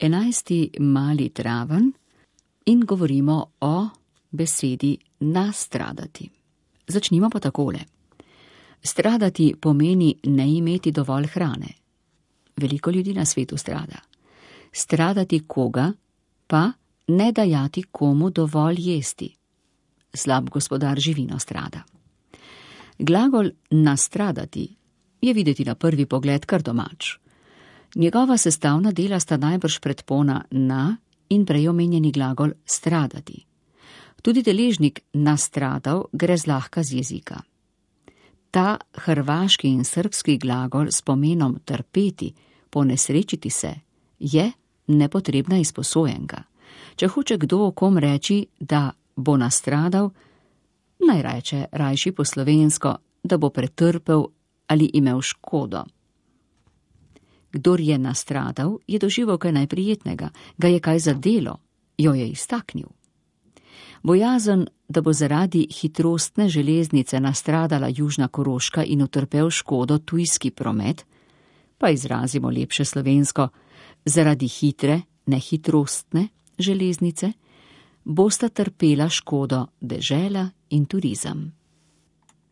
11. mali traven in govorimo o besedi nastradati. Začnimo pa takole. Stradati pomeni ne imeti dovolj hrane. Veliko ljudi na svetu strada. Stradati koga pa ne dajati komu dovolj jesti. Slab gospodar živino strada. Glagol nastradati je videti na prvi pogled kar domač. Njegova sestavna dela sta najbrž predpona na in prej omenjeni glagol stradati. Tudi deležnik nastradal gre zlahka z jezika. Ta hrvaški in srbski glagol s pomenom trpeti, ponesrečiti se, je nepotrebna izposojenka. Če hoče kdo o kom reči, da bo nastradal, naj reče rajši po slovensko, da bo pretrpel ali imel škodo. Kdor je nastradal, je doživel kaj najprijetnega, ga je kaj zadelo, jo je iztaknil. Bojazen, da bo zaradi hitrostne železnice nastradala Južna Koroška in utrpel škodo tujski promet, pa izrazimo lepše slovensko, zaradi hitre, nehitrostne železnice, bosta trpela škodo dežela in turizem.